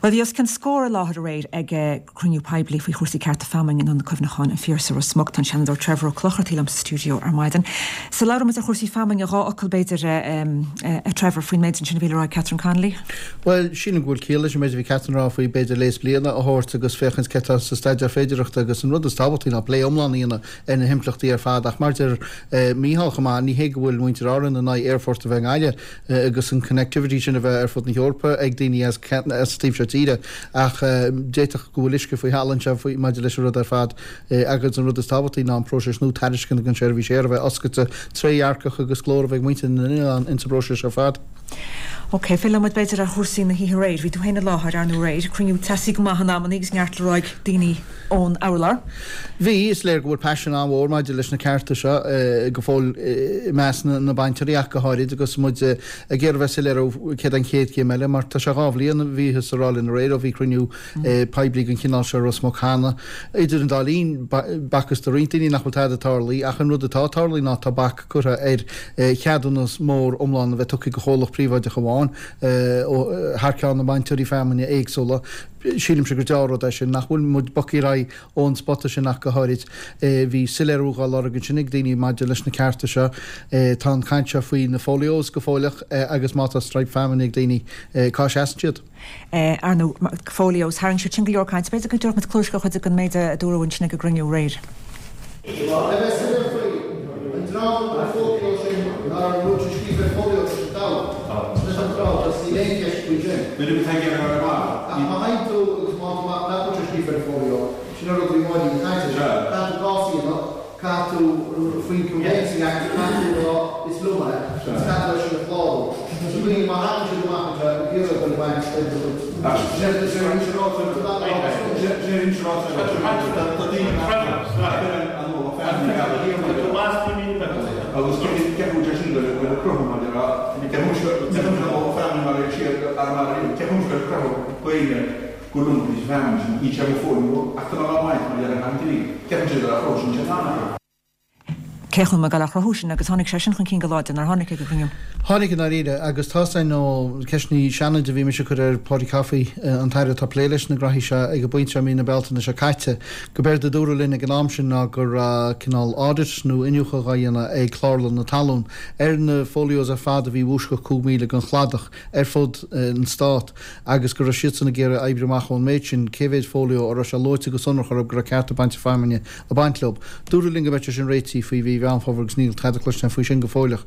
Bhuel, bhí os cionn scór i láthair aréir ag cruinniú poiblí faoi chúrsaí cearta feamainne in Ionad Cuimhneacháin an Phiarsaigh, Ros Muc. Tá an Seanadóir Trevor Ó Clochartaigh liom sa stiúideo ar maidin. So labhróidh muid ar chúrsaí feamainne, dhá fhocal b'fhéidir, a Trevor, faoin méid ansin a bhí le rá ag Catherine Connolly. Bhuel, sílim go bhfuil ciall leis an méid a bhí Catherine a rá faoi b'fhéidir léas bliana a thabhairt agus féachaint cé atá sa staidéar féidearthachta agus an rud is tábhachtaí ná plé iomlán a dhéanamh ar na himpleachtaí ar fad ach mar a deir Mícheál chomh maith, ní hé go bhfuil muintir Árann in aghaidh aerfort a bheith i nGaillimh agus an connectivity sin a bheith ar fud na hEorpa ag daoine as an taobh seo tíre ach d'fhéadfadh go bhfuil uisce faoi thalamh anseo faoi maidir leis an rud ar fad agus an rud is tábhachtaí ná an próiseas nua tairisceana don seirbhís aeir a bheith oscailte, trédhearcach agus glór a bheith ag muintir na n-oileán insa bpróiseas ar fad. Ok, fillfidh muid b'fhéidir ar chúrsaí na hoíche aréir. Bhí tú féin i láthair, ar ndóigh aréir. Cruinniú teasaí go maith in amannaí agus neart le rá ag daoine ón urlár. Bhí, is léir go bhfuil paisean an-mhór maidir leis na cearta seo go fóill i measc na bainteoirí ach go háirid agus muid ag iarraidh bheith soiléir ó céard an chéad chéim eile mar tá sé dhá bhliain, bhíothas ag rá linn aréir ó bhí cruinniú poiblí den chineál seo i Ros Muc cheana. Idir an dá linn, b'fhacthas do roinnt daoine nach bhfuil tada tarlaithe ach an rud atá tarlaithe ná tá bac curtha ar cheadúnas mór iomlán a bheith tugtha do chomhlacht príobháideach amháin thar ceann na mbainteoirí feamainne éagsúla. Sílimse gur deá-rud é sin, nach bhfuil muid bogtha ar aghaidh ón spota sin ach go háirid. Bhí soiléiriú dhá lorg ansin ag daoine maidir leis na cearta seo. Tá an chaint seo faoi na folios go fóilleach agus má tá straidhp feamainne ag daoine, cá seasann siad? Ar ndóigh, folios, tharraing siad sin go leor cainte. B'fhéidir go dtabharfadh muid cluais do chuid den méid a dúradh ansin ag an gcruinniú aréir. Le bheith soiléir faoi, an dream a bhfuil folio sin nár an rud sin scríofa ar folio tá siad dall. Leis an tráth agus níl aon cheist faoi sin. Nuair a bhí ag iarraidh ar an Ach má thagann tú agus má tá amach nach bhfuil sé scríofa ar folio, sin an rud a bhí Máirín ag caint air. Caithfidh tú cás a dhéanamh. Caithfidh tú faoin Conveyancing Act, caithfidh tú a rá is liom é agus caithfidh tú é sin a chlárú. So daoine má thagann siad amach anseo ag iarraidh dul ag baint ar do chuid Cé chun mar gheall ar chruthú sin agus tháinig sé sin chun cinn go láidir, nár tháinig ag an gcruinniú? Tháinig i ndáiríre, agus tá sé nó ceisteanna Seanaid a bhí mise ag cur ar Paudie Coffey, an tAire atá ag plé leis na graithí seo ag an bpointe seo i mí na Bealtaine seo caite, go b'éard a dúradh linn ag an am sin ná go raibh cineál audit nó iniúchadh á dhéanamh ag Clárlann na Talún ar na folios ar fad a bhí i bhfoisceacht 5 míle den chladach ar fud an Stát. agus go raibh siadsan ag iarraidh oibriú amach ón méid sin cé mhéid fólio a raibh sé luaite go sonrach orthu go raibh cearta bainte feamainne ag baint leo. Dúradh linn go mbeadh sé sin réitithe faoi mhí Mheán Fómhair agus níl tada cloiste againn faoi sin go fóilleach.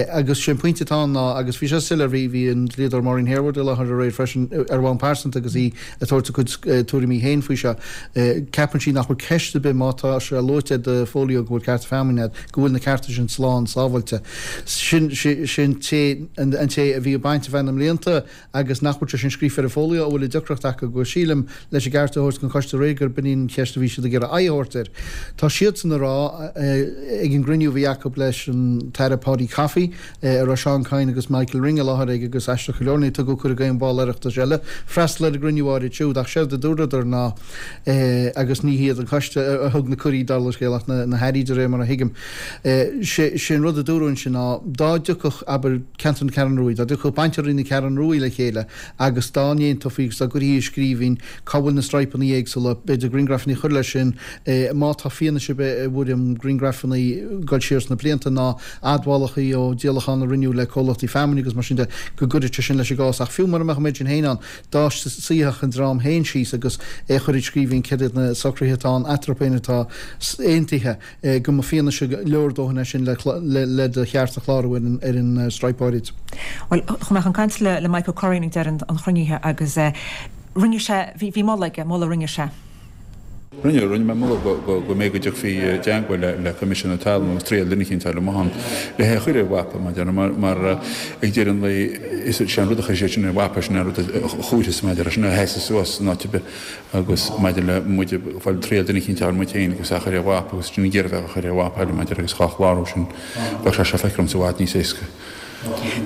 Agus sé an pointe atá ann ná, agus bhí sé soiléir, bhí, bhí an dlíodóir Maureen Harewood i láthair aréir freisin ar bhonn pearsanta agus í ag tabhairt a cuid tuairimí féin faoi seo, ceapann sí nach bhfuil ceist ar bith má tá sé luaite ar do fólio go bhfuil cearta feamainne agat, go bhfuil na cearta sin slán sábháilte. Sin, sin té, an té a bhí ag baint ar feadh na mblianta agus nach bhfuil sé sin scríofa ar an fólio a bhfuil an deacracht acu agus sílim, leis an gceart a thabhairt don choiste aréir gur b'in í an cheist a bhí siad ag iarraidh aghaidh a thabhairt air. Tá siadsan ag rá ag an gcruinniú a bhí acu leis an tAire Paudie Coffey, a raibh Seán Kyne agus Michael Ring i láthair ag agus aisteach go leor níor tugadh cuireadh d'aon bhall Oireachtais eile freastal ar an gcruinniú áirid siúd ach séard a dúradar ná agus ní hiad an coiste a thug na cuirí dála an scéil ach na hairí de réir mar a thuigim. Sé an rud a dúradh ansin ná dá dtiocfadh, abair, ceantar na Ceathrún Ruaidh, dá dtiocfadh bainteoirí na Ceathrún Ruaidh le chéile agus dá n-aontófaí agus dá gcuirfí i scríbhinn cá bhfuil na straidhpeanna éagsúla, b'fhéidir grianghrafanna a chur leis sin, má tá fianaise ar bith i bhfoirm grianghrafanna ag dul siar sna blianta ná admhálacha ó díolacháin a rinneadh le comhlachtaí feamainne agus mar sin de, go gcuirfeadh sé sin leis an gcás. Ach fiú mura mbeadh an méid sin féin ann, dá suífeadh an dream féin síos agus é a chur i scríbhinn céard iad na socruithe atá ann eatarthu féin atá aontaithe, go mba fianaise leordhóthain é sin le do cheart a chlárú ar an straidhp áirid. Bhuel, chuaigh mé chun cainte le Mike Ó Curraoin ag deireadh an chruinnithe agus rinne sé, bhí moladh aige, moladh a rinne sé. Rinne, rinne mé moladh go go mbeidh go dtiocfaí i dteagmháil le Coimisiún na Talún agus triail duine eicínt a fháil amuigh ann le hé a chur ar mhapa mar déarfá mar mar ag deireadh an lae is sé an rud a chuir siad sin ar mhapa sin an rud a chuirfeas mar déarfá sin a sheasfas suas in áit ar bith agus maidir le muid ag fáil triail duine eicínt a fháil muid féin agus é a chur ar mhapa agus sin ag iarraidh bheith á chur ar mhapa eile mar déarfá agus dhá chlárú sin bheadh sé seo feicthe ormsa i bhfad níos éasca.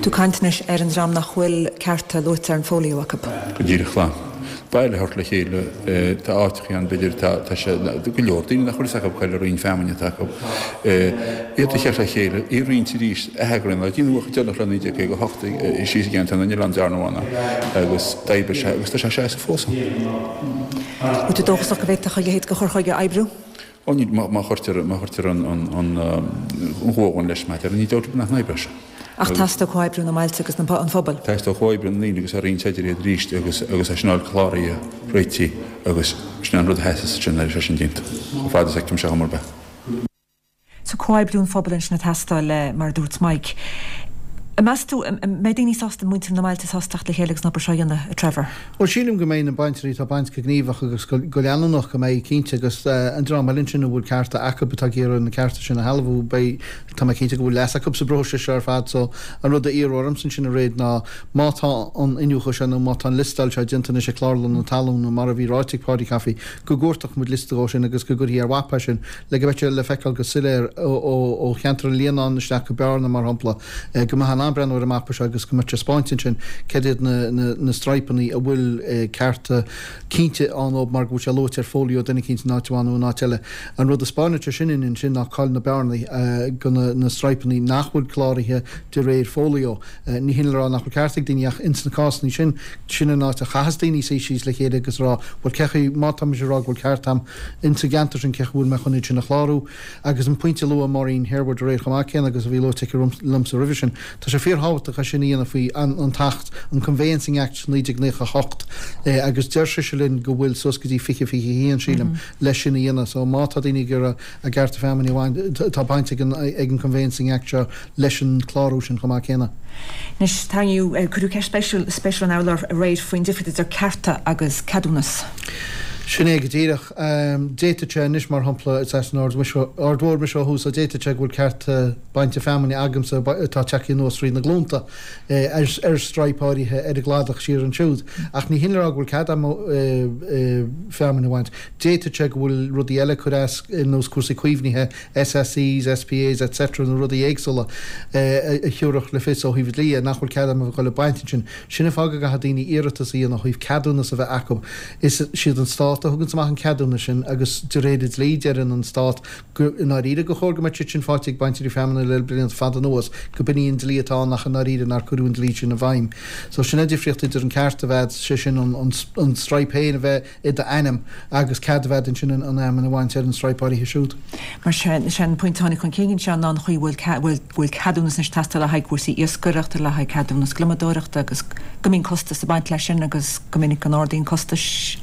Tú ag caint anois ar an dream nach bhfuil cearta luaite ar an folio acu. Go díreach, glan. Baile a thabhairt le chéile, tá áiteachaí ann, b'fhéidir, tá, tá sé, go leor daoine nach bhfuil fhios acu cá bhfuil an roinn feamainne atá acu. Iad a chur le chéile, í a roinnt arís, atheagrú an Déanadh an chuid deireanach le 1958 síos i gceantar na nOileán dearnadh ann agus d'oibrigh sé agus tá sé ag seasamh fós ann. Bhfuil tú dóchasach go bhféadfadh a leithéid de chur chuige oibriú? Ó ní, má chuirtear, má chuirtear an, an, an ghuagán leis, mar a deir, ní dóigh liom nach n-oibreoidh sé. Ach teastóidh comhoibriú na mbailte agus an phobail. Teastóidh comhoibriú na ndaoine agus a roinnt idir iad arís agus agus é sin a fháil cláraithe, réitithe agus sin é an rud a theastas ansin nuair atá sé sin déanta, chomh fada is a fheicimse chuma ar bith. So comhoibriú an phobail ansin ag teastáil, mar a dúirt Mike. Meas tú, an mbeidh daoine sásta, muintir na mbailte sásta teacht le chéile agus an obair seo a dhéanamh, a Trevor? Bhuel, sílim go mbeidh na bainteoirí atá ag baint go gníomhach agus go leanúnach, go mbeidh, cinnte, agus an dream eile ansin a bhfuil cearta acu atá ag iarraidh na cearta sin a shealbhú, beidh, tá mé cinnte go bhfuil leas acu sa bpróiseas seo ar fad. So, an rud a iarrfadh ormsa ansin aréir ná má tá an iniúchadh seo nó má tá an liostáil seo déanta anois ag Clárlann na Talún nó mar a bhí ráite ag Paudie Coffey, go gcuartódh muid liosta dhó sin agus go gcuirfí ar mhapa é sin le go mbeadh sé le feiceáil go soiléir ó cheantar an Líonáin isteach go Bearna, mar shampla, go mbeifeá in ann breathnú ar an mapa seo agus go mbeadh sé spáinte ansin céard iad na straidhpeanna a bhfuil cearta cinnte ann dóibh mar go bhfuil sé luaite ar fólio duine eicínt in áit amháin nó in áit eile. An rud a spáineann sé sin ansin ná cá'il na bearnaí go na straidhpeanna nach bhfuil cláraithe de réir fólio. Ní hin le rá nach bhfuil ceart ag daoine ach ins na cásanna sin, sin an áit a chaitheas daoine suí síos le chéile agus rá, bhuel cé chaoi, má tá mise ag rá go bhfuil ceart a'm ins an gceantar sin, cé chaoi bhfuil mé chun iad sin a chlárú? Agus an pointe a luaigh Maureen Harewood aréir chomh maith céanna agus a bhí luaite aici liomsa roimhe sin, tá sé fíorthábhachtach é sin a dhéanamh faoi an tAcht, an Conveyancing Act 1998, agus deir sise linn go bhfuil suas go dtí 2021, sílim, leis sin a dhéanamh. So má tá daoine ag iarraidh a gcearta feamainne a bhaint, tá baint ag an Conveyancing Act seo leis an clárú sin chomh maith céanna. Anois, tarraingíodh, cuireadh ceist spéisiúil an urlár aréir faoin difríocht idir cearta agus ceadúnas. Sin é go díreach. D'fhéadfadh sé anois, mar shampla, is as an Aird Mhór mise ó thús so d'fhéadfadh sé go bhfuil cearta bainte feamainne agamsa atá tagtha anuas thríd na glúnta ar straidhp áirithe ar an gcladach siar ansiúd. Ach ní hin le rá go bhfuil cead agam feamainn a bhaint. D'fhéadfadh sé go bhfuil rudaí eile ag cur as, ar nós cúrsaí caomhnaithe, SACs, SPAs etc. nó rudaí éagsúla a thiúrfadh le fios ó thaobh dlí nach bhfuil cead agam a bheith ag dul ag baint ansin. Sin an fáth go gcaithfidh daoine iarratas a dhéanamh ó thaobh ceadúnas a bheith acu. Is siad an Stát a thuganns amach an ceadúnas sin agus de réir an dlí deireann an Stát go i ndáiríre gur chóir go mbeadh siad sin faighte ag bainteoirí feamainne le blianta fada anuas, go b'in í an dlí atá ann ach i ndáiríre nár cuireadh an dlí sin i bhfeidhm. So sin an difríocht idir an ceart a bheith, sé sin an straidhp féin a bheith i d'ainm agus cead a bheith agat ansin an fheamainn a bhaint ar an straidhp áirithe siúd. Mar sin, is é an pointe a tháinig chun cinn anseo ná an chaoi a bhfuil bhfuil ceadúnas anois ag teastáil le haghaidh cúrsaí iascaireachta, le haghaidh ceadúnas gliomadóireachta agus go mbíonn costas ag baint leis sin agus go minic go n-ardaíonn costais.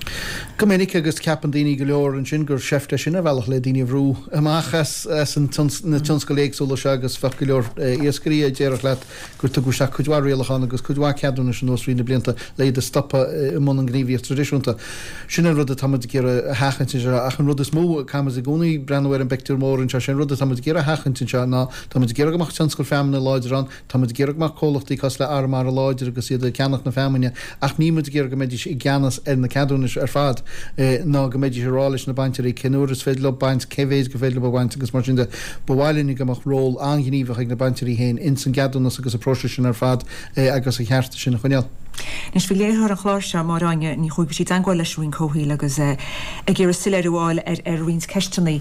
Go minic agus ceapann daoine go leor ansin gur seift é sin ar bhealach le daoine a bhrú amach as na tionscail éagsúla seo agus bheadh go leor iascairí a déarfadh leat gur tugadh isteach cuid mhaith rialachán agus cuid mhaith ceadúnais anuas thrí na blianta le iad a stopadh i mbun an ghníomhaíocht traidisiúnta. Sin an rud atá muid ag iarraidh a sheachaint anseo ach an rud is mó, caithfidh muid i gcónaí breathnú ar an bpictiúr mór anseo, sé an rud atá muid ag iarraidh a sheachaint anseo ná tá muid ag iarraidh go mbeadh tionscal feamainne láidir ann, tá muid ag iarraidh go mbeadh comhlachtaí cosúil le Arramara láidir agus iad ag ceannach na feamainne ach níl muid ag iarraidh go mbeidís i gceannas ar na ceadúnais ar fad ná go mbeidís ag rá leis na bainteoirí cén uair is féidir leo baint, cé mhéid gur féidir leo a bhaint agus mar sin de. Ba mhaith linn go mbeadh ról an-ghníomhach ag na bainteoirí féin ins an gceadúnas agus an próiseas sin ar fad agus an chearta sin a choinneáil. Anois, bhí léiritheoir an chláir seo, Máire Áine Ní Chuaig, bhí sí i dteangmháil leis an Roinn Comhshaoil agus ag iarraidh soiléiriú a fháil ar roinnt ceisteanna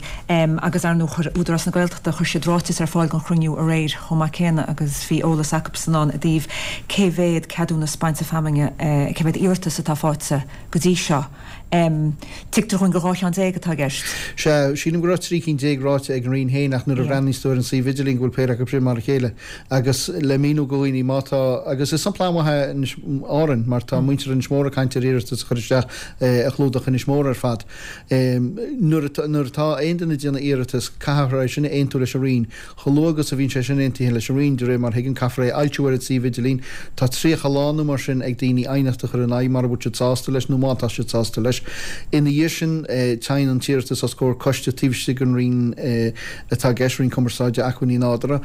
agus ar ndóigh chuir Údarás na Gaeltachta, chuir siad ráiteas ar fáil don chruinniú aréir chomh maith céanna agus bhí eolas acusan ann i dtaobh cé mhéad ceadúnas bainte feamainne, cé mhéad iarratas atá faighte go dtí seo. Tuigtear dhúinn gur 12 cheann atá i gceist. Sea, sílim go raibh 13 cinn ráite ag an Roinn féin ach nuair a bhreathnaíos tú ar an suíomh idirlín go bhfuil péire acu sin mar a chéile. Agus le míniú do dhaoine má tá, agus is sampla an-mhaith é Inis Árainn mar tá muintir Inis Mór ag caint ar iarratas a chur isteach a chlúdach Inis Mór ar fad. Nuair atá aon duine ag déanamh iarratas caithfear é sin a aontú leis an Roinn. Chomh luath agus a bhíonn sé sin aontaithe leis an Roinn, de réir mar a thuigim, caithfear é a fhoilsiú ar an suíomh idirlín. Tá 30 lá nó mar sin ag daoine aighneacht a chur ina aghaidh mara bhfuil siad sásta leis nó má tá siad sásta leis. Ina dhiaidh sin, téann an t-iarratas os comhair coiste taobh istigh den Roinn atá i gceist, Roinn Cumarsáide, Acmhainní Nádúrtha,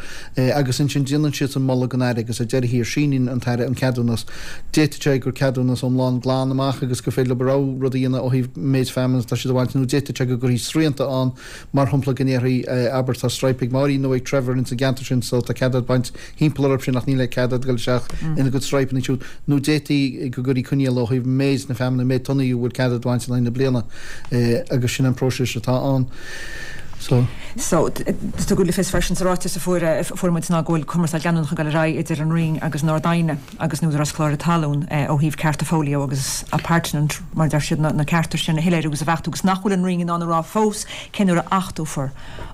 agus ansin déanann siadsan moladh don Aire agus ar deireadh thiar síníonn an tAire an ceadúnas. D'fhéadfadh sé gur ceadúnas iomlán glan amach agus gur féidir leo a rogha rud a dhéanamh ó thaobh méid feamainne atá siad a bhaint nó d'fhéadfadh sé go gcuirfí srianta ann, mar shampla go ndéarfaí, abair, tá straidhp ag Máirín nó ag Trevor ins an gceantar sin so tá cead agat baint thimpeall orthu sin ach níl cead agat dul isteach ina gcuid straidhpeanna siúd. Nó d'fhéadfaí go gcuirfí coinníoll ó thaobh méid na feamainne, méid tonnaí a bhfuil cead agat a bhaint in aghaidh na bliana agus sin an próiseas atá ann. So. So, tugadh le fios freisin sa ráiteas a fuair muid ná go bhfuil cumarsáid leanúnach ag dul ar aghaidh idir an Roinn agus an Ard-Aighne. agus an Údarás Cláraithe Talún ó thaobh cearta fóillíoch agus appurtenant, mar a deir siad, na cearta sin a shoiléiriú agus a bheachtú agus nach bhfuil an Roinn in ann a rá fós cén uair a achtófar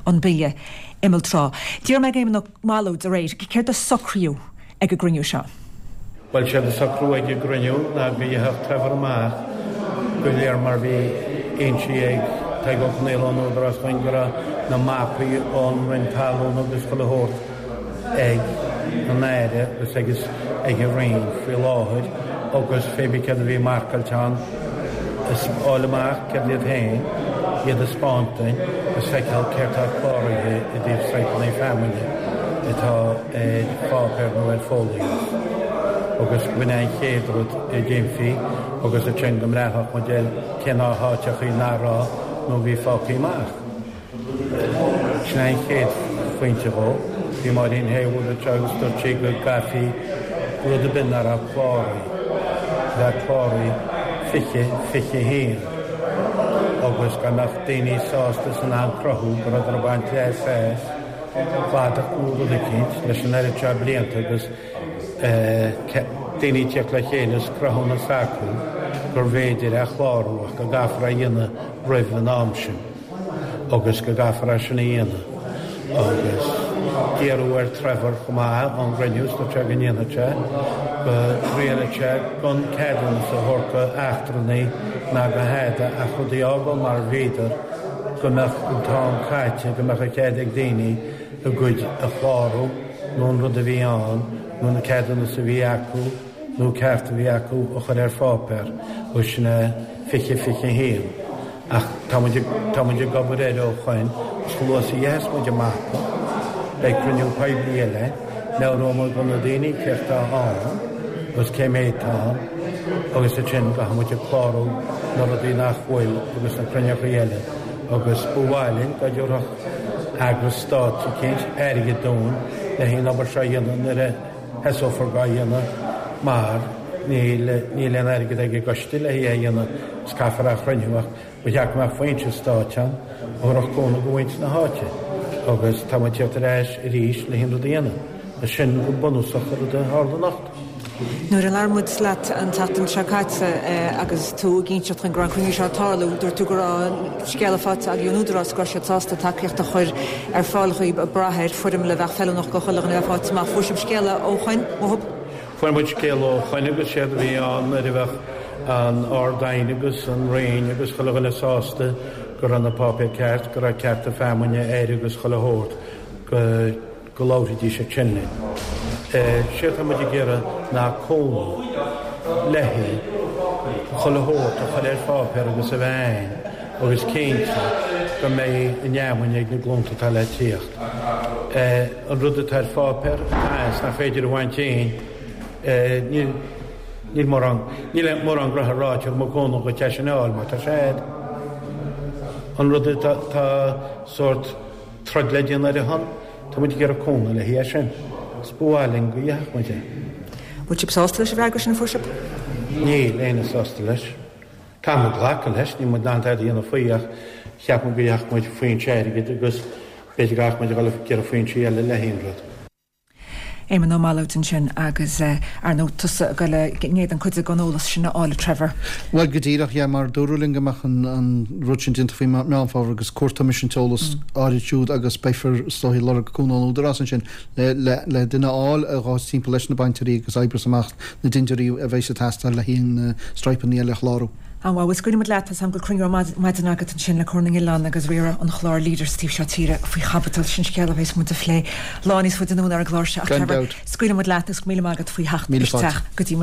an Bille Imeall Trá. D'iarr mé ar Éamonn Ó Mallóid aréir céard a socraíodh ag an gcruinniú seo. Bhuel, séard a socraíodh ag an gcruinniú ná go gheobhadh Trevor amach go léir mar bhí insithe ag Tadhg Ó Conaola ón Údarás dúinn go raibh na mapaí ón Roinn Talún agus chuile shórt ag an Aire agus agus ag an Roinn faoi láthair agus pé bith céard a bhí marcáilte ann a fháil amach céard iad féin, iad a 'spáint dúinn agus feiceáil céard tá cláraithe i dtaobh straidhpeanna feamainne atá ar pháipéar nó ar fóillíocht agus b'in é an chéad rud a déanfaí agus ansin go mbreathnódh muid ar cé na háiteachaí nach raibh nó a bhí fágtha amach. Sin é an chéad phointe dhó. Bhí Máirín Haywood anseo agus dúirt sí go gcaithfí rud ar bith nach raibh cláraithe, bheith cláraithe 20, 21 agus go mbeadh daoine sásta is in ann cruthú go rabhadar ag baint leas as cladach nó rud eicínt leis an oiread seo blianta agus daoine ag tíocht le chéile is cruthúnas acu gurbh fhéidir é a chlárú ach go gcaithfear é a dhéanamh roimh an am sin. agus go gcaithfear é sin a dhéanamh agus iarradh ar Trevor chomh maith ón gcruinniú is dúirt sé go ndéanfadh sé, go dtriailfeadh sé gan ceadúnas a thabhairt go eachtrannaigh ná go hada ach rudaí a fhágáil mar a bhíodar, go mbeadh an t-am caite, go mbeadh an cead ag daoine a gcuid a chlárú nó an rud a bhí ann nó na ceadúnas a bhí acu nó ceart a bhí acu a chur ar pháipéar agus sin é 20, 21. Ach tá muid ag, tá muid ag obair air ó shoin, agus chomh luath is a gheobhas muid an mapa, beidh cruinniú poiblí eile, meabhróidh muid do na daoine céard tá ann agus cé méid tá ann, agus ansin gabhfaidh muid ag clárú na rudaí nach bhfuil agus na cruinneachaí eile, agus ba mhaith linn dá dtabharfadh eagras stáit eicínt airgead dúinn le haghaidh an obair seo a dhéanamh nuair a thosófar dhá dhéanamh mar níl, níl aon airgead ag an gcoiste le haghaidh é a dhéanamh. Is caithfear é a chruinniú ach ba cheart go mbeadh foinse stáit ann a thabharfadh cúnamh do mhuintir na háite agus tá muid ag tíocht ar ais arís le haon rud a dhéanamh. Is sin go bunúsach an rud a tharla anocht. Nuair a labhair muid leat an tseachtain seo caite agus tú ag inseacht dhúinn go raibh an cruinniú seo ag tarlú, dúirt tú go raibh scéala faighte agaibh ón Údarás go raibh siad sásta tacaíocht a chur ar fáil dhaoibh ag brath ar foirmle a bheadh feiliúnach do chuile dhuine a bheith faighte amach. Fuair sibh scéala ó shoin, uathub? Fuair muid scéala ó shoin agus séard a bhí ann nuair a bheadh an Ard-Aighne agus an Roinn agus chuile dhuine sásta go raibh na páipéir ceart, go raibh cearta feamainne air agus chuile shórt, go go labharfaidís ansin linn. Séard tá muid ag iarraidh ná cúnamh le chuile shórt a chur ar pháipéar agus a bheith a'ainn agus cinnte go mbeidh an fheamainn ag na glúnta atá le tíocht. An rud atá ar pháipéar atá is nach féidir a bhaint dínn, níl níl mórán níl mórán gnoithe ráite agam i gcónaí dhuit é sin a fháil mar tá sé a'd. An rud atá tá sórt troid le déanamh ar a shon, tá muid ag iarraidh cúnamh le haghaidh é sin. Is ba mhaith linn go gheobhadh muid é. Bhfuil sibh sásta leis an bhfreagra sin a fuair sibh? Níl éinne sásta leis. Caithfidh muid glacadh leis, níl muid in ann tada a dhéanamh faoi ach cheap muid go gheobhadh muid foinse airgid agus b'fhéidir go gcaithfidh muid a dhul ag iarraidh foinsí eile le haon rud. Éamonn Ó Mallóid ansin agus ar ndóigh tusa ag dul in éadan cuid den eolas sin a fháil a Trevor. Bhuel go díreach, yeah, mar dúradh linn go mbeadh an rud sin déanta faoi Meán Fómhair agus cuartóidh mise an t-eolas áirid siúd agus beifear is dóigh ag lorg cúnamh ón Údarás ansin le le duine a fháil a ghabhfas timpeall leis na bainteoirí agus oibreos amach na dintiúirí a bheas ag teastáil le haghaidh na straidhpeanna eile a chlárú. An-mhaith. Bhuel, scaoilfidh muid leat. Tá 's agam go bhfuil cruinniú ar maidin agat ansin le Comhar na nOileán agus riaradh an chláir Leader sa taobh seo tíre faoi chaibidil. Sin scéal a bheas muid a phlé lá níos faide anonn ar an gclár seo. Ach Gan dabht. scaoilfidh muid leat agus go raibh míle maith agat faoi theacht Míle fáilte. isteach go dtí.